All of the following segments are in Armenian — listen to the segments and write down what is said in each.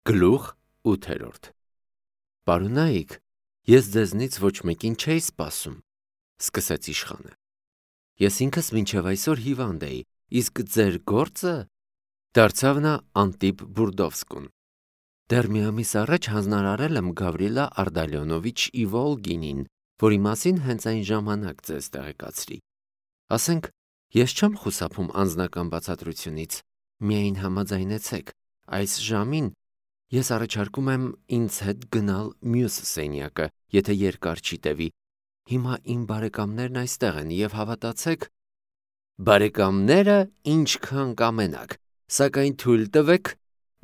Գլուխ 8 Պարոնայք, ես ձեզնից ոչ մեկին չէի սպասում, սկսեց իշխանը. ես ինքս մինչև այսօր հիվանդ էի, իսկ ձեր գործը, դարձավ նա Անտիպ Բուրդովսկուն. դեռ մի ամիս առաջ հանձնարարել եմ Գավրիլա Արդալիոնովիչ Իվոլգինին, որի մասին հենց այն ժամանակ ձեզ տեղեկացրի. ասենք, ես չեմ խուսափում անձնական բացատրությունից, միայն համաձայնեցեք, այս ժամին ես առաջարկում եմ ինձ հետ գնալ մյուս սենյակը, եթե երկար չի տևի. հիմա իմ բարեկամներն այստեղ են և հավատացեք, բարեկամները ինչքան կամենաք, սակայն թույլ տվեք,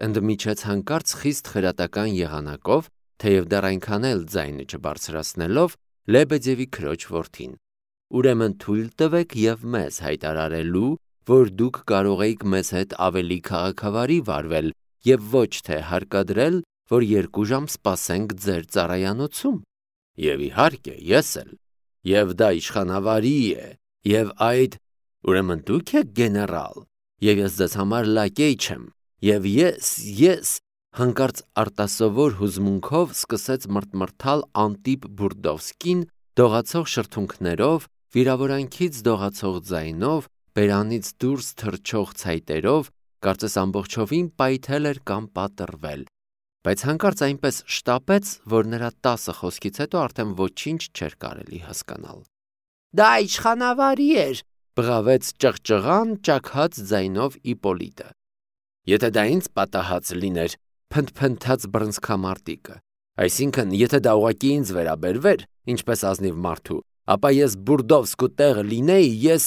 ընդմիջեց հանկարծ խիստ խրատական եղանակով, թեև դեռ այնքան էլ ձայնը չբարձրացնելով, Լեբեդևի քրոջ որդին. ուրեմն թույլ տվեք և մեզ հայտարարելու, որ դուք կարող եք մեզ հետ ավելի քաղաքավարի վարվել և ոչ թե հարկադրել, որ 2 ժամ սպասենք ձեր ծառայանոցում, և իհարկե ես էլ, և դա իշխանավարի է, և այդ, ուրեմն դուք եք գեներալ, և ես ձեզ համար լակեյ չեմ, և ես, հանկարծ արտասովոր հուզմունքով սկսեց մրթմրթալ Անտիպ Բուրդովսկին, դողացող շրթունքներով, վիրավորանքից դողացող ձայնով, բերանից դուրս թռչող ցայտերով, կարծես ամբողջովին պայթել էր կամ պատռվել, բայց հանկարծ այնպես շտապեց, որ նրա 10 խոսքից հետո արդեն ոչինչ չէր կարելի հասկանալ. դա իշխանավարի էր, բղավեց ճղճղան ճաքած ձայնով Իպոլիտը. եթե դա ինձ պատահած լիներ, փնթփնթաց բռնցքամարտիկը, այսինքն, եթե դա ուղղակի ինձ վերաբերվեր, ինչպես ազնիվ մարդու, ապա ես Բուրդովսկու տեղը լինեի, ես...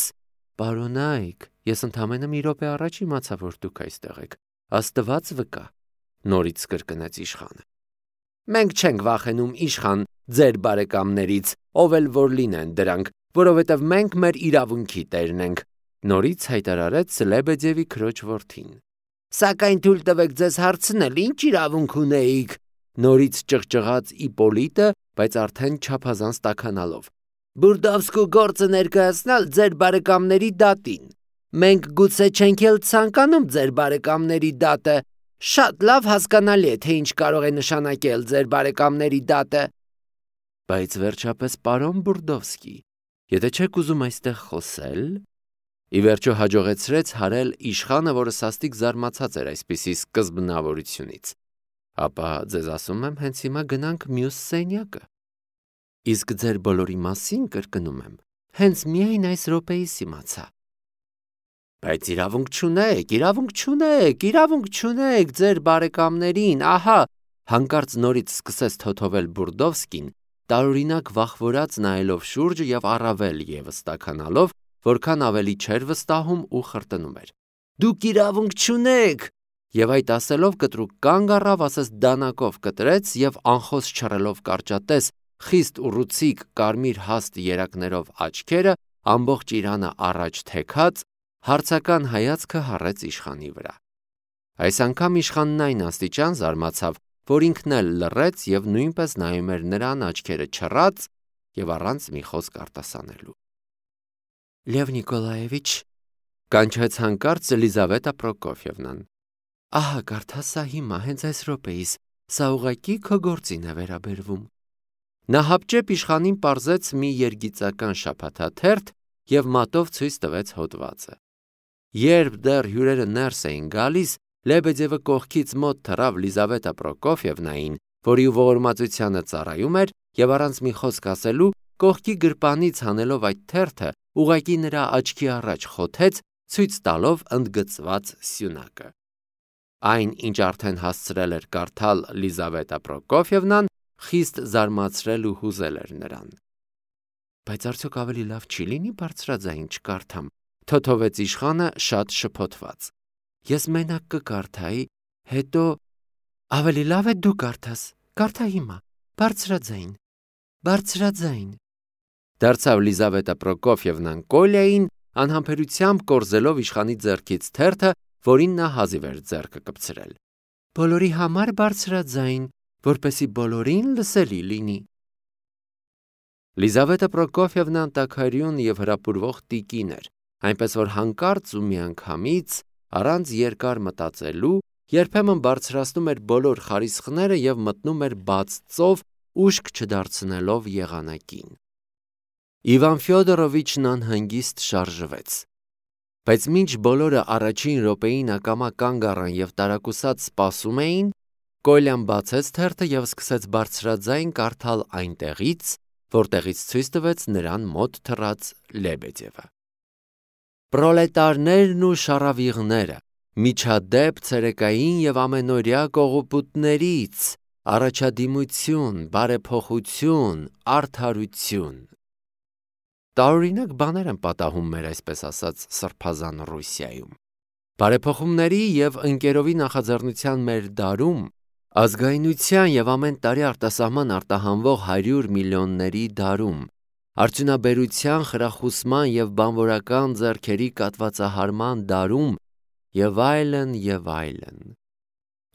Պարոնայք, ես ընդամենը մի րոպե առաջ իմացա, որ դուք այստեղ եք, Աստված վկա, նորից կրկնեց իշխանը. մենք չենք վախենում իշխան ձեր բարեկամներից, ով էլ որ լինեն դրանք, որովհետև մենք մեր իրավունքի տերն ենք, նորից հայտարարեց Լեբեդևի քրոջ որդին. սակայն թույլ տվեք ձեզ հարցնել, ինչ իրավունք ունեիք, նորից ճղճղաց Իպոլիտը, բայց արդեն չափազանց տաքանալով. Բուրդովսկու գործը ներկայացնել ձեր բարեկամների դատին, մենք գուցե չենք էլ ցանկանում ձեր բարեկամների դատը, շատ լավ հասկանալի է, թե ինչ կարող է նշանակել ձեր բարեկամների դատը, բայց վերջապես պարոն Բուրդովսկի, եթե չեք ուզում այստեղ խոսել, ի վերջո հաջողեցրեց հարել իշխանը, որը սաստիկ զարմացած էր այսպիսի սկզբնավորությունից, ապա ձեզ ասում եմ, հենց հիմա գնանք մյուս սենյակը, իսկ ձեր բոլորի մասին կրկնում եմ, հենց միայն այս րոպեիս իմացա, բայց իրավունք չունեք ձեր բարեկամներին, ահա, հանկարծ նորից սկսեց թոթովել Բուրդովսկին, տարօրինակ վախվորած նայելով շուրջը և առավել ևս տաքանալով, որքան ավելի չէր վստահում ու խրտնում էր. դուք իրավունք չունեք, և այդ ասելով կտրուկ կանգ առավ, ասես դանակով կտրեց և անխոս չռելով կարճատես, խիստ ուռուցիկ կարմիր հաստ երակներով աչքերը, ամբողջ իրանը առաջ թեքած, հարցական հայացքը հառեց իշխանի վրա. այս անգամ իշխանն այն աստիճան զարմացավ, որ ինքն էլ լռեց և նույնպես նայում էր նրան աչքերը չռած և առանց մի խոսք արտասանելու. Լև Նիկոլաևիչ, կանչեց հանկարծ Ելիզավետա Պրոկոֆիևնան. ահա կարդա սա հիմա, հենց այս րոպեիս, սա ուղղակի քո գործին է վերաբերվում. նա հապճեպ իշխանին պարզեց մի երգիծական շաբաթաթերթ և մատով ցույց տվեց հոդվածը. երբ դեռ հյուրերը ներս էին գալիս, Լեբեդևը կողքից մոտ թռավ Լիզավետա Պրոկոֆիևնային, որի ողորմածությանը ծառայում էր, և առանց մի խոսք ասելու, կողքի գրպանից հանելով այդ թերթը, ուղղակի նրա աչքի առաջ խոթեց, ցույց տալով ընդգծված սյունակը. այն, ինչ արդեն հասցրել էր կարդալ Լիզավետա Պրոկոֆիևնան, խիստ զարմացրել ու հուզել էր նրան. բայց արդյոք ավելի լավ չի լինի բարձրաձայն չկարդամ, թոթովեց իշխանը շատ շփոթված. ես մենակ կկարդայի, հետո ավելի լավ է դու կարդաս, կարդա հիմա, բարձրաձայն, դարձավ Լիզավետա Պրոկոֆիևնան Կոլյային, անհամբերությամբ կորզելով իշխանի ձեռքից թերթը, որին նա հազիվ էր ձեռքը կպցրել. բոլորի համար բարձրաձայն, որպեսզի բոլորին լսելի լինի. Լիզավետա Պրոկոֆիևնան տաքարյուն և հրապուրվող տիկին էր, այնպես որ հանկարծ ու միանգամից, առանց երկար մտածելու երբեմն բարձրացնում էր բոլոր խարիսխները և մտնում էր բաց ծով, ուշք չդարձնելով եղանակին։ Իվան Ֆյոդորովիչն անհանգիստ շարժվեց, բայց մինչ բոլորը առաջին րոպեին ակամա կանգ առան և տարակուսած սպասում էին, Կոլյան բացեց թերթը և սկսեց բարձրաձայն կարդալ այնտեղից, որտեղից ցույց տվեց նրան մոտ թռած Լեբեդևը։ Պրոլետարներն ու շառավիղները, միջադեպ ցերեկային և ամենօրյա կողոպուտներից, առաջադիմություն, բարեփոխություն, արդարություն։ Տարօրինակ բաներ են պատահում մեր այսպես ասած սրբազան Ռուսիայում։ Բարեփոխումների և ընկերովի նախաձեռնության մեր դարում, ազգայնության և ամեն տարի արտասահման արտահանվող 100 միլիոնների դարում, արդյունաբերության, խրախուսման և բանվորական ձեռքերի կատվածահարման դարում և այլն և այլն։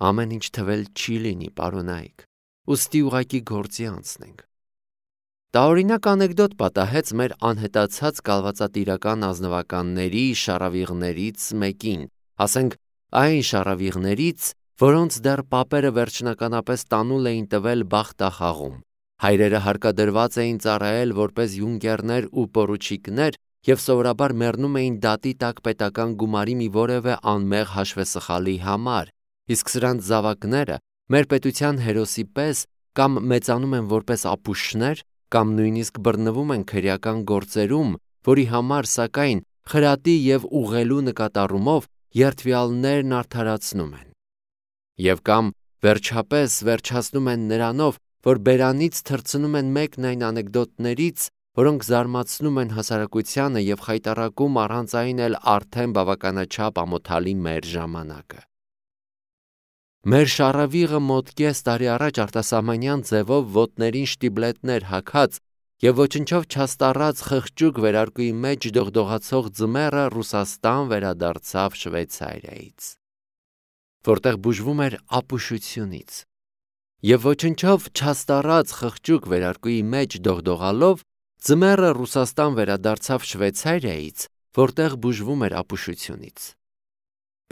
Ամեն ինչ թվել չի լինի, պարոնայք, ուստի ուղղակի գործի անցնենք։ Տարօրինակ անեկդոտ պատահեց մեր անհետացած կալվածատիրական ազնվականների շառավիղներից մեկին, ասենք այն շառավիղներից, որոնց դեռ պապերը վերջնականապես տանուլ էին տվել բախտախաղում, հայրերը հարկադրված էին ծառայել որպես յունկերներ ու պորուչիկներ և սովորաբար մեռնում էին դատի տակ պետական գումարի մի որևէ անմեղ հաշվեսխալի համար, իսկ սրանց զավակները մեր պետության հերոսի պես կամ մեծանում են որպես ապուշներ, կամ նույնիսկ բռնվում են քրեական գործերում, որի համար, սակայն, խրատի և ուղղելու նկատառումով երդվյալներն արդարացնում են։ Եվ կամ վերջապես վերջացնում են նրանով, որ բերանից թռցնում են մեկն այն անեկդոտներից, որոնք զարմացնում են հասարակությանը և խայտառակում առանց այն էլ արդեն բավականաչափ ամոթալի մեր ժամանակը։ Մեր շառավիղը մոտ կես տարի առաջ արտասահմանյան ձևով ոտներին շտիբլետներ հագած և ոչնչով չաստառած խղճուկ վերարկուի մեջ դողդողացող ձմեռը Ռուսաստան վերադարձավ Շվեյցարիայից, որտեղ բուժվում էր ապուշությունից, և ոչնչով չաստառած խղճուկ վերարկուի մեջ դողդողալով ձմեռը Ռուսաստան վերադարձավ Շվեյցարիայից, որտեղ բուժվում էր ապուշությունից։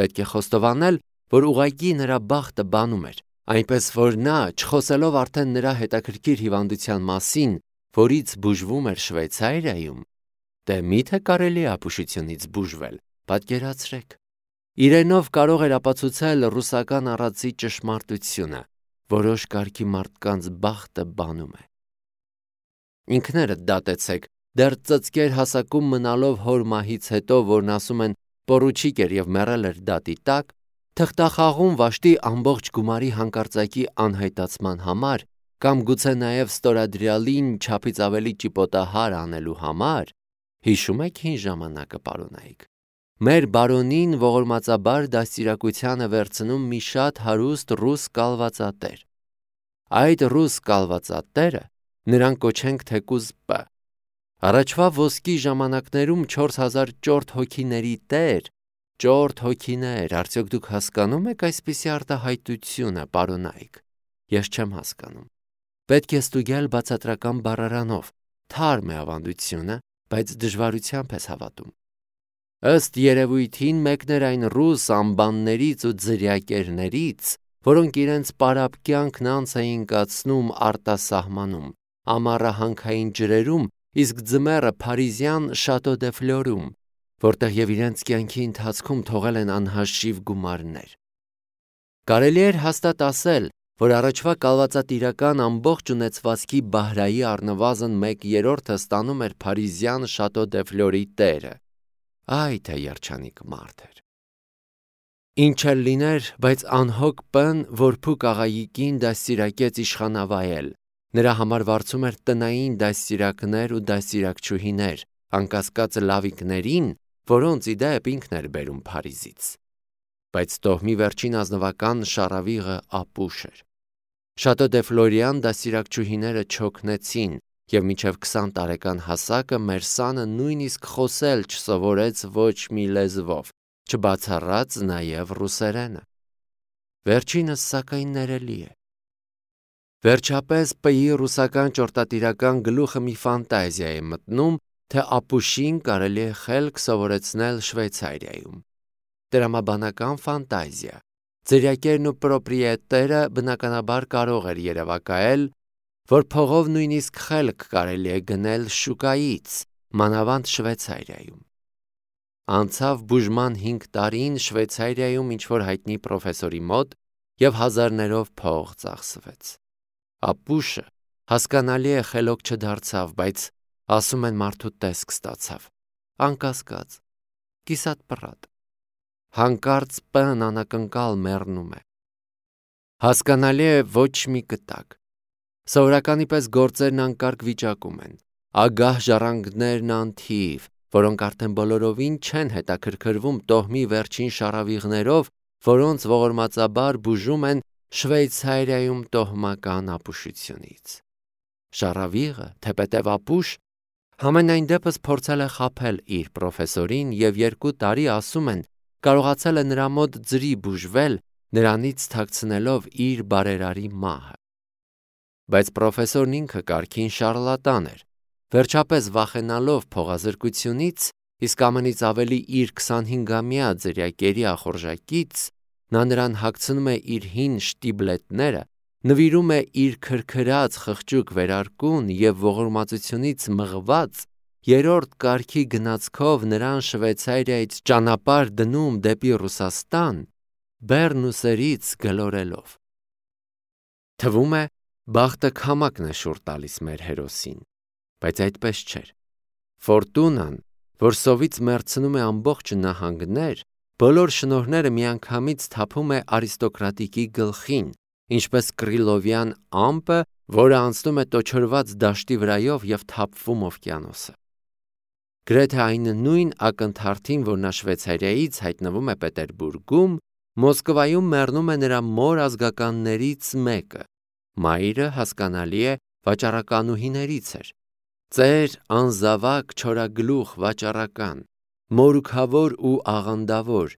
Պետք է խոստովանել, որ ուղղակի նրա բախտը բանում էր, այնպես որ նա, չխոսելով արդեն նրա հետաքրքիր հիվանդության մասին, որից բուժվում էր Շվեյցարիայում, դե միթե կարելի է ապուշությունից բուժվել, պատկերացրեք, իրենով կարող էր ապացուցել ռուսական առածի ճշմարտությունը, որոշ կարգի մարդկանց բախտը բանում է։ Ինքներդ դատեցեք, դեռ ծծկեր հասակում մնալով հոր մահից հետո, որն ասում են պորուչիկ էր և մեռել էր դատի տակ, թղթախաղում վաշտի ամբողջ գումարի հանկարծակի անհայտացման համար, կամ գուցե նաև ստորադրյալին չափից ավելի ճիպոտահար անելու համար, հիշում եք հին ժամանակը, պարոնայք, մեր բարոնին ողորմածաբար դաստիարակության է վերցնում մի շատ հարուստ ռուս կալվածատեր։ Այդ ռուս կալվածատերը նրան կոչենք թեկուզ П. Առաջվա ոսկի ժամանակներում 4000 ճորթ հոգիների տեր, ճորթ հոգիներ, արդյոք դուք հասկանում եք այսպիսի արտահայտությունը, պարոնայք, ես չեմ հասկանում։ Պետք է ստուգել բացատրական բառարանով, թարմ է ավանդությունը, բայց դժվարությամբ ես հավատում։ Ըստ երևույթին մեկն էր այն ռուս անբաններից ու ձրիակերներից, որոնք իրենց պարապ կյանքն անց էին կացնում արտասահմանում, ամառը հանքային ջրերում, իսկ ձմեռը փարիզյան Շատո դե Ֆլորում, որտեղ և իրենց կյանքի ընթացքում թողել են անհաշիվ գումարներ։ Կարելի էր հաստատ ասել, որ առաջվա կալվածատիրական ամբողջ ունեցվածքի բահրայի առնվազն 1/3-ը ստանում էր փարիզյան Շատո դե Ֆլորի տերը։ Այ թե երջանիկ մարդ էր։ Ինչ էլ լիներ, բայց անհոգ П-ն որփուկ աղայիկին դաստիարակեց իշխանավայել, նրա համար վարձում էր տնային դաստիարակներ ու դաստիարակչուհիներ, անկասկած լավիկներին, որոնց ի դեպ ինքն էր բերում Փարիզից։ Բայց տոհմի վերջին ազնվական շառավիղը ապուշ էր։ Շատո դե Ֆլորյան դաստիարակչուհիները չօգնեցին, և մինչև 20 տարեկան հասակը մեր սանը նույնիսկ խոսել չսովորեց ոչ մի լեզվով, չբացառած նաև ռուսերենը։ Վերջինս սակայն ներելի է։ Վերջապես П-ի ռուսական ճորտատիրական գլուխը մի ֆանտազիա է մտնում, թե ապուշին կարելի է խելք սովորեցնել Շվեյցարիայում։ Տրամաբանական ֆանտազիա, Ձրիակերն ու պրոպրիետերը բնականաբար կարող էր երևակայել, որ փողով նույնիսկ խելք կարելի է գնել շուկայից, մանավանդ Շվեյցարիայում։ Անցավ բուժման 5 տարին Շվեյցարիայում ինչ-որ հայտնի պրոֆեսորի մոտ և հազարներով փող ծախսվեց։ Ապուշը հասկանալի է խելոք չդարձավ, բայց ասում են մարդու տեսք ստացավ, անկասկած, կիսատ պռատ, հանկարծ պն անակնկալ մեռնում է։ Հասկանալի է ոչ մի կտակ, սովորականի պես գործերն անկարգ վիճակում են, ագահ ժառանգներն անթիվ, որոնք արդեն բոլորովին չեն հետաքրքրվում տոհմի վերջին շառավիղներով, որոնց ողորմածաբար բուժում են Շվեյցարիայում տոհմական ապուշությունից։ Շառավիղը, թեպետև ապուշ, համենայն դեպս փորձել է խաբել իր պրոֆեսորին և 2 տարի, ասում են, կարողացել է նրա մոտ ձրի բուժվել, նրանից թաքցնելով իր բարերարի մահը։ Բայց պրոֆեսորն ինքը կարգին շառլատան էր, վերջապես վախենալով փողազրկությունից, իսկ ամենից ավելի իր 25-ամյա ձրիակերի ախորժակից, նա նրան հագցնում է իր հին շտիբլետները, նվիրում է իր քրքրած խղճուկ վերարկուն և ողորմածությունից մղված 3-րդ կարգի գնացքով նրան Շվեյցարիայից ճանապարհ դնում դեպի Ռուսաստան, բեռն ուսերից գլորելով։ Թվում է, բախտը քամակն է շուռ տալիս մեր հերոսին, բայց այդպես չէր։ Ֆորտունան, որ սովից մեռցնում է ամբողջ նահանգներ, բոլոր շնորհները միանգամից թափում է արիստոկրատիկի գլխին, ինչպես կռիլովյան ամպը, որը անցնում է տոչորված դաշտի վրայով և թափվում օվկիանոսը։ Գրեթե այն նույն ակնթարթին, որ նա Շվեյցարիայից հայտնվում է Պետերբուրգում, Մոսկվայում մեռնում է նրա մոր ազգականներից մեկը։ Մայրը, հասկանալի է, վաճառականուհիներից էր։ Ծեր անզավակ չորագլուխ վաճառական, մորուքավոր ու աղանդավոր,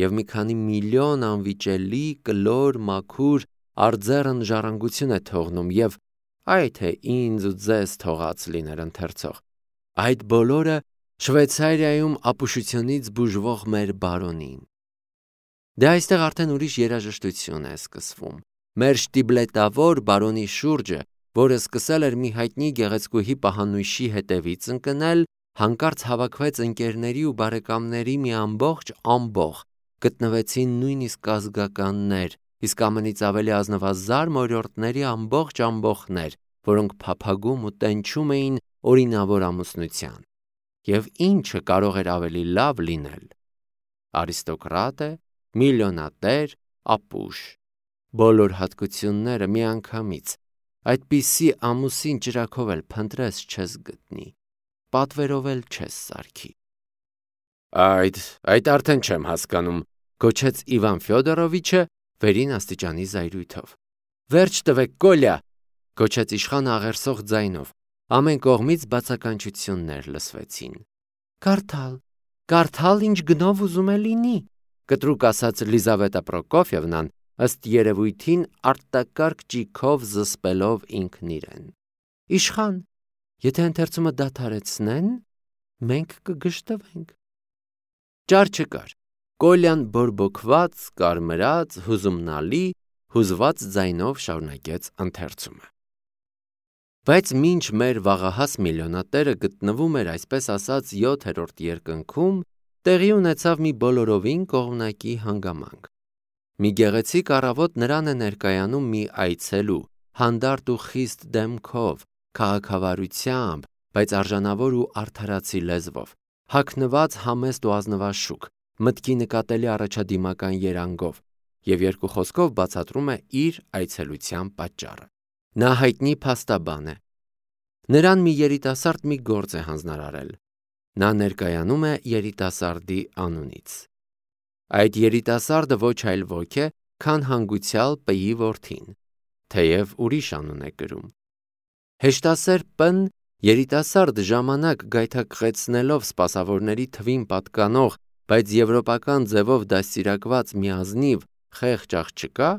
և մի քանի միլիոն անվիճելի, կլոր, մաքուր, արձեռն ժառանգություն է թողնում և այ թե ինձ ու ձեզ թողած լիներ ընթերցող, այդ բոլորը Շվեյցարիայում ապուշությունից բուժվող մեր բարոնին։ Դե այստեղ արդեն ուրիշ երաժշտություն է սկսվում։ Մեր շտիբլետավոր բարոնի շուրջը, որը սկսել էր մի հայտնի գեղեցկուհի պահանույշի հետևից ընկնել, հանկարծ հավաքվեց ընկերների ու բարեկամների մի ամբողջ ամբոխ, գտնվեցին նույնիսկ ազգականներ, իսկ ամենից ավելի ազնվազարմ օրիորդների ամբողջ ամբոխներ, որոնք փափագում ու տենչում էին օրինավոր ամուսնության։ Եվ ինչը կարող էր ավելի լավ լինել։ Արիստոկրատ է, միլիոնատեր, ապուշ, բոլոր հատկությունները միանգամից, այդպիսի ամուսին ճրագով էլ փնտրես չես գտնի, պատվերով էլ չես սարքի։ Այդ արդեն չեմ հասկանում, գոչեց Իվան Ֆյոդորովիչը վերին աստիճանի զայրույթով։ Վերջ տվեք, Կոլյա, գոչեց իշխանը աղերսող ձայնով։ Ամեն կողմից բացականչություններ լսվեցին։ Կարդալ, ինչ գնով ուզում է լինի, կտրուկ ասաց Լիզավետա Պրոկոֆյևնան, ըստ երևույթին արտակարգ ճիգով զսպելով ինքն իրեն։ Իշխան, եթե ընթերցումը դադարեցնեն, մենք կգժտվենք։ Ճար չկար։ Կոլյան բորբոքված, կարմրած, հուզումնալի, հուզված ձայնով շարունակեց ընթերցումը։ Բայց մինչ մեր վաղահաս միլիոնատերը գտնվում էր այսպես ասած 7-րդ երկնքում, տեղի ունեցավ մի բոլորովին կողմնակի հանգամանք։ Մի գեղեցիկ առավոտ նրան է ներկայանում մի այցելու, հանդարտ ու խիստ դեմքով, քաղաքավարությամբ, բայց արժանավոր ու արդարացի լեզվով, հագնված համեստ ու ազնվաշուք, մտքի նկատելի առաջադիմական երանգով և 2 խոսքով բացատրում է իր այցելության պատճառը։ Նա հայտնի փաստաբան է։ Նրան մի երիտասարդ մի գործ է հանձնարարել։ Նա ներկայանում է երիտասարդի անունից։ Այդ երիտասարդը ոչ այլ ոք է, քան հանգուցյալ П-ի որդին, թեև ուրիշ անուն է կրում։ Հեշտասեր П-ն երիտասարդ ժամանակ գայթակղեցնելով սպասավորների թվին պատկանող, բայց եվրոպական ձևով դաստիարակված մի ազնիվ խեղճ աղջկա,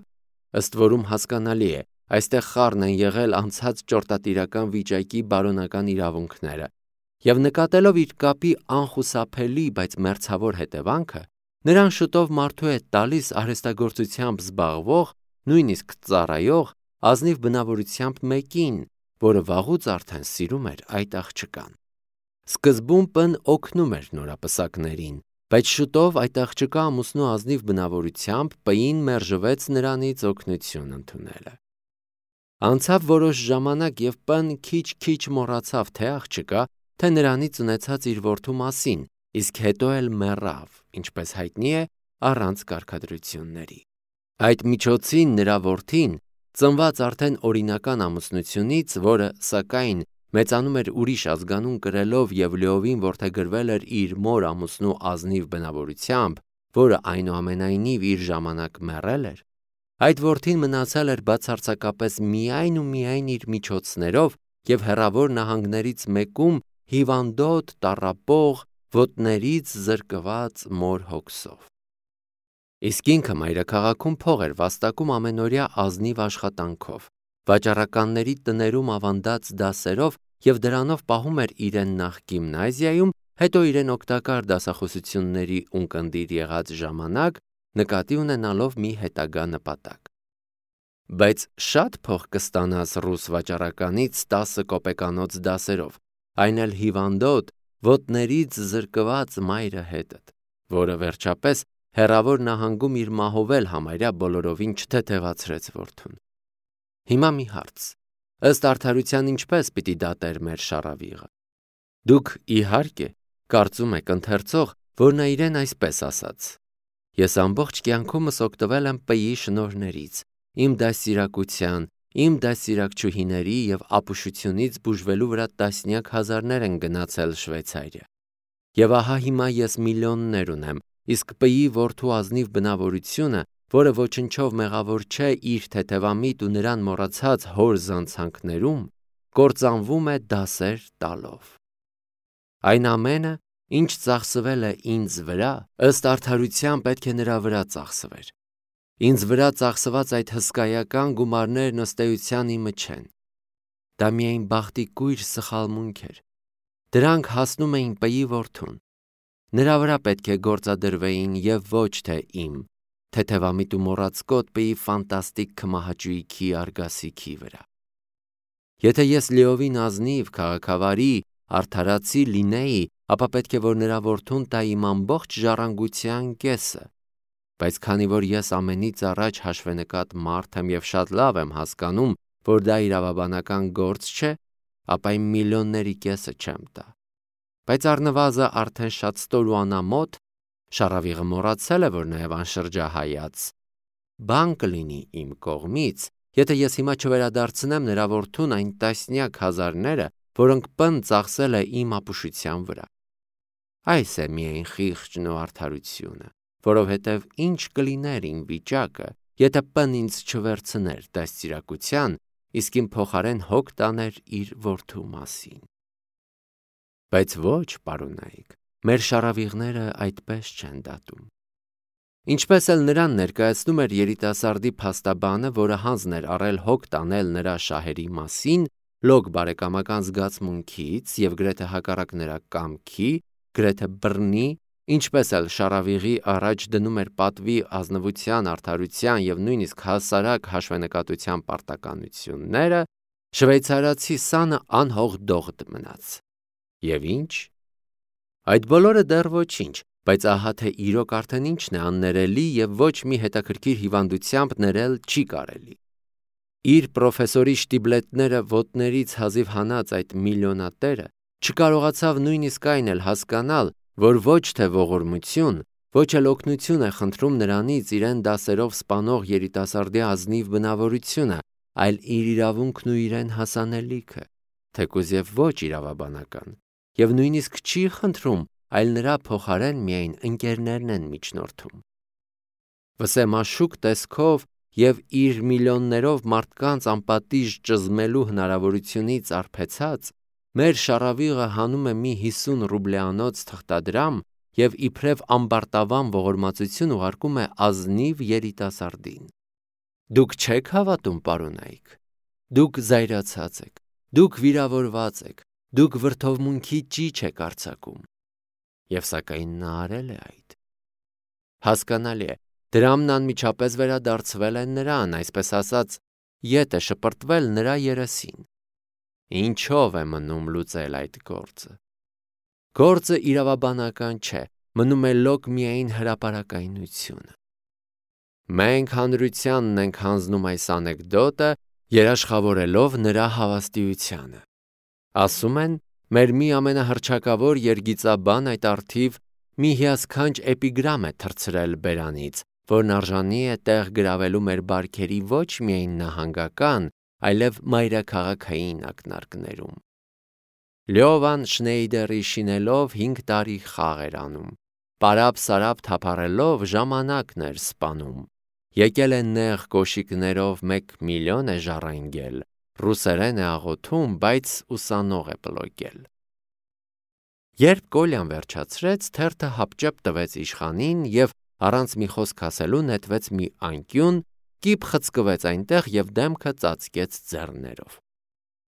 ըստ որում հասկանալի է, այստեղ խառն են եղել անցած ճորտատիրական վիճակի բարոնական իրավունքները, և նկատելով իր կապի անխուսափելի, բայց մերձավոր հետևանքը, Նրան շուտով մարդու հետ տալիս արհեստագործությամբ զբաղվող, նույնիսկ ծառայող, ազնիվ բնավորությամբ մեկին, որը վաղուց արդեն սիրում էր այդ աղջկան։ Սկզբում Պ-ն օգնում էր նորապսակներին, բայց շուտով այդ աղջկա ամուսնու ազնիվ բնավորությամբ П-ին մերժվեց նրանից օգնություն ընդունելը։ Անցավ որոշ ժամանակ և П-ն քիչ-քիչ մոռացավ թե աղջկա, թե նրանից ունեցած իր որդու մասին, իսկ հետո էլ մեռավ, ինչպես հայտնի է, առանց կարգադրությունների։ Այդ միջոցին նրա որդին, ծնված արդեն օրինական ամուսնությունից, որը, սակայն, մեծանում էր ուրիշ ազգանուն կրելով և լիովին որդեգրվել էր իր մոր ամուսնու ազնիվ բնավորությամբ, որը այնուամենայնիվ իր ժամանակ մեռել էր, այդ որդին մնացել էր բացարձակապես միայն ու միայն իր միջոցներով և հեռավոր նահանգներից մեկում հիվանդոտ, տառապող, ոտներից զրկված մոր հոգսով։ Իսկ ինքը մայրաքաղաքում փող էր վաստակում ամենօրյա ազնիվ աշխատանքով, վաճառականների տներում ավանդած դասերով և դրանով պահում էր իրեն նախ գիմնազիայում, հետո իրեն օգտակար դասախոսությունների ունկնդիր եղած ժամանակ, նկատի ունենալով մի հետագա նպատակ։ Բայց շատ փող կստանաս ռուս վաճառականից 10 կոպեկանոց դասերով, այն էլ հիվանդոտ, ոտներից զրկված մայրը հետդ, որը վերջապես հեռավոր նահանգում իր մահով էլ համարյա բոլորովին չթեթևացրեց որդուն։ Հիմա մի հարց. ըստ արդարության ինչպես պիտի դատեր մեր շառավիղը։ Դուք, իհարկե, կարծում եք ընթերցող, որ նա իրեն այսպես ասաց. ես ամբողջ կյանքումս օգտվել եմ П-ի շնորհներից, իմ դաստիարակության, իմ դաստիարակչուհիների և ապուշությունից բուժվելու վրա տասնյակ հազարներ են գնացել Շվեյցարիա։ Եվ ահա հիմա ես միլիոններ ունեմ, իսկ П-ի որդու ազնիվ բնավորությունը, որը ոչնչով մեղավոր չէ իր թեթևամիտ ու նրան մոռացած հոր զանցանքներում, կործանվում է դասեր տալով։ Այն ամենը, ինչ ծախսվել է ինձ վրա, ըստ արդարության պետք է նրա վրա ծախսվեր։ Ինձ վրա ծախսված այդ հսկայական գումարներն ըստ էության իմը չեն։ Դա միայն բախտի կույր սխալմունք էր։ Դրանք հասնում էին П-ի որդուն։ Նրա վրա պետք է գործադրվեին և ոչ թե իմ, թեթևամիտ ու մոռացկոտ П-ի ֆանտաստիկ քմահաճույքի արգասիքի վրա։ Եթե ես լիովին ազնիվ, քաղաքավարի, արդարացի լինեի, ապա պետք է որ նրա որդուն տա իմ ամբողջ ժառանգության կեսը, բայց քանի որ ես ամենից առաջ հաշվենկատ մարդ եմ և շատ լավ եմ հասկանում, որ դա իրավաբանական գործ չէ, ապա իմ միլիոնների կեսը չեմ տա։ Բայց առնվազն արդեն շատ ստոր ու անամոթ, շառավիղը մոռացել է, որ նաև անշրջահայաց, բան կլինի իմ կողմից, եթե ես հիմա չվերադարձնեմ նրա որդուն այն տասնյակ հազարները, որոնք П-ն ծախսել է իմ ապուշության վրա։ Այս է միայն խիղճն ու արդարությունը, որովհետև ինչ կլիներ իմ վիճակը, եթե П-ն ինձ չվերցներ դաստիարակության, իսկ իմ փոխարեն հոգ տաներ իր որդու մասին։ Բայց ոչ, պարոնայք, մեր շառավիղները այդպես չեն դատում։ Ինչպես էլ նրան ներկայացնում էր երիտասարդի փաստաբանը, որը հանձն էր առել հոգ տանել նրա շահերի մասին, լոկ բարեկամական զգացմունքից և գրեթե հակառակ նրա կամքի, գրեթե բռնի, ինչպես էլ շառավիղի առաջ դնում էր պատվի, ազնվության, արդարության և նույնիսկ հասարակ հաշվենկատության պարտականությունները, շվեյցարացի սանը անհող դողդ մնաց։ Եվ ինչ։ Այդ բոլորը դեռ ոչինչ, բայց ահա թե իրոք արդեն ինչն է աններելի և ոչ մի հետաքրքիր հիվանդությամբ ներել չի կարելի։ Իր պրոֆեսորի շտիբլետները ոտներից հազիվ հանած այդ միլիոնատերը չկարողացավ նույնիսկ այն էլ հասկանալ, որ ոչ թե ողորմություն, ոչ էլ օգնություն է խնդրում նրանից իրեն դասերով սպանող երիտասարդի ազնիվ բնավորությունը, այլ իր իրավունքն ու իրեն հասանելիքը, թեկուզ և ոչ իրավաբանական, և նույնիսկ չի խնդրում, այլ նրա փոխարեն միայն ընկերներն են միջնորդում։ Վսեմաշուկ տեսքով և իր միլիոններով մարդկանց անպատիժ ճզմելու հնարավորությունից արբեցած, մեր շառավիղը հանում է մի 50 ռուբլեանոց թղթադրամ և իբրև ամբարտավան ողորմածություն ուղարկում է ազնիվ երիտասարդին։ Դուք չեք հավատում, պարոնայք։ Դուք զայրացած եք, դուք վիրավորված եք, դուք վրդովմունքի ճիչ եք արձակում։ Եվ սակայն նա արել է այդ։ Հասկանալի է, դրամն անմիջապես վերադարձվել է նրան, այսպես ասած, ետ է շպրտվել նրա երեսին։ Ինչով է մնում լուծել այդ գործը։ Գործը իրավաբանական չէ, մնում է լոկ միայն հրապարակայնությունը։ Մենք հանրությանն ենք հանձնում այս անեկդոտը, երաշխավորելով նրա հավաստիությանը։ Ասում են, մեր մի ամենահռչակավոր երգիծաբան այդ առթիվ մի հիասքանչ էպիգրամ է թռցրել բերանից, որն արժանի է տեղ գրավելու մեր բարքերի ոչ միայն նահանգական, այլև մայրաքաղաքային ակնարկներում։ Լյովան Շնեյդերի շինելով 5 տարի խաղ էր անում, պարապ-սարապ թափառելով ժամանակն էր սպանում, եկել է նեղ կոշիկներով 1 միլիոն է ժառանգել, ռուսերեն է աղոթում, բայց ուսանող է պլոկել։ Երբ Կոլյան վերջացրեց, թերթը հապճեպ տվեց իշխանին և առանց մի խոսք ասելու նետվեց մի անկյուն, կիպ խցկվեց այնտեղ և դեմքը ծածկեց ձեռներով։